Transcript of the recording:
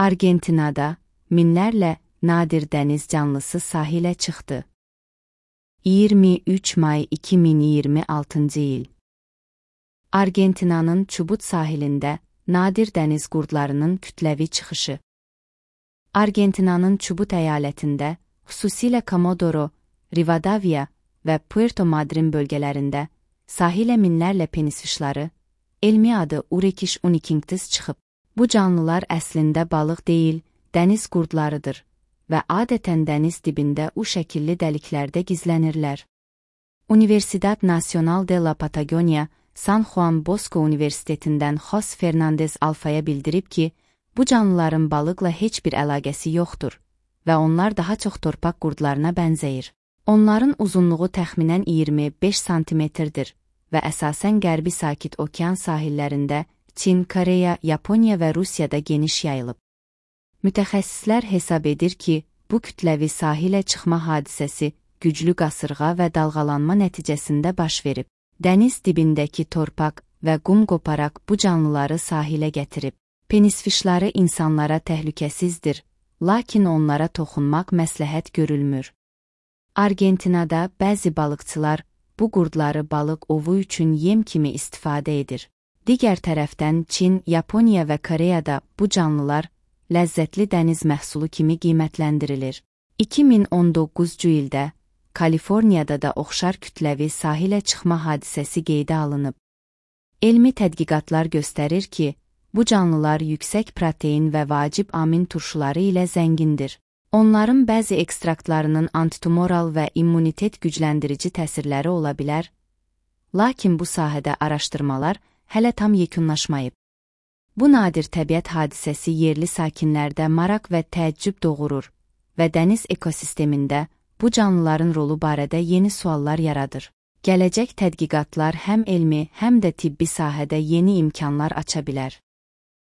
Argentinada minlərlə nadir dəniz canlısı sahilə çıxdı. 23 may 2026 il. Argentinanın Çubut sahilində nadir dəniz qurdlarının kütləvi çıxışı. Argentinanın Çubut əyalətində, xüsusilə Comodoro, Rivadavia və Puerto Madryn bölgələrində sahilə minlərlə penisfişları, elmi adı Urechis unicinquis çıxıb. Bu canlılar əslində balıq deyil, dəniz qurdlarıdır və adətən dəniz dibində U şəkilli dəliklərdə gizlənirlər. Universidad Nacional de la Patagonia, San Juan Bosco Universitetindən Jos Fernandez Alfaya bildirib ki, bu canlıların balıqla heç bir əlaqəsi yoxdur və onlar daha çox torpaq qurdlarına bənzəyir. Onların uzunluğu təxminən 25 santimetrdir və əsasən Qərbi Sakit Okean sahillərində Çin, Koreya, Yaponiya və Rusiyada geniş yayılıb. Mütəxəssislər hesab edir ki, bu kütləvi sahilə çıxma hadisəsi güclü qasırğa və dalğalanma nəticəsində baş verib. Dəniz dibindəki torpaq və qum qoparaq bu canlıları sahilə gətirib. Penisfişları insanlara təhlükəsizdir, lakin onlara toxunmaq məsləhət görülmür. Argentinada bəzi balıqçılar bu qurdları balıq ovu üçün yem kimi istifadə edir. Digər tərəfdən Çin, Yaponiya və Koreyada bu canlılar ləzzətli dəniz məhsulu kimi qiymətləndirilir. 2019-cu ildə Kaliforniyada da oxşar kütləvi sahilə çıxma hadisəsi qeydə alınıb. Elmi tədqiqatlar göstərir ki, bu canlılar yüksək protein və vacib amin turşuları ilə zəngindir. Onların bəzi ekstraktlarının antitumoral və immunitet gücləndirici təsirləri ola bilər, lakin bu sahədə araşdırmalar hələ tam yekunlaşmayıb. Bu nadir təbiət hadisəsi yerli sakinlərdə maraq və təəccüb doğurur və dəniz ekosistemində bu canlıların rolu barədə yeni suallar yaradır. Gələcək tədqiqatlar həm elmi, həm də tibbi sahədə yeni imkanlar aça bilər.